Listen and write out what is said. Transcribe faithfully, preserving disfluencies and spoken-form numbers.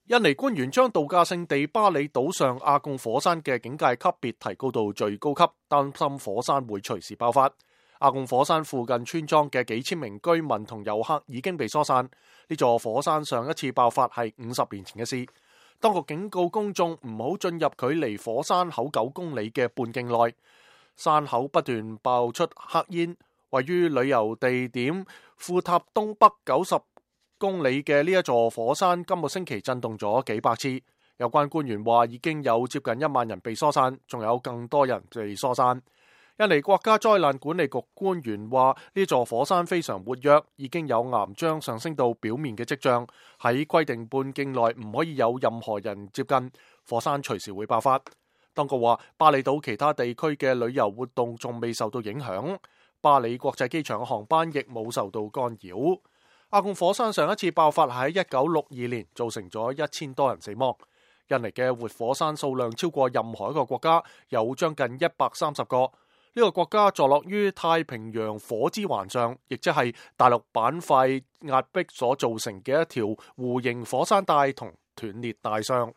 印尼官員將度假勝地巴里島上阿貢火山嘅警戒級別提高到最高級，擔心火山會隨時爆發。阿貢火山附近村莊嘅幾千名居民同遊客已經被疏散。呢座火山上一次爆發係五十年前嘅事。當局警告公眾唔好進入距離火山口九公里嘅半徑內。山口不斷爆出黑煙，位於旅遊地點庫塔東北九十公里嘅呢一座火山今個星期震動咗幾百次。有關官員話已經有接近一萬人被疏散，仲有更多人被疏散。印尼國家災難管理局官員話呢座火山非常活躍，已經有岩漿上升到表面嘅跡象。喺規定半徑內唔可以有任何人接近，火山隨時會爆發。當局話巴里島其他地區嘅旅遊活動仲未受到影響，巴里國際機場嘅航班亦冇受到干擾。阿貢火山上一次爆發喺一九六二年，造成咗一千多人死亡。印尼嘅活火山數量超過任何一個國家，有將近一百三十個。呢個國家坐落於太平洋火之環上，亦即係大陸板塊壓迫所造成嘅一條弧形火山帶同斷裂帶上。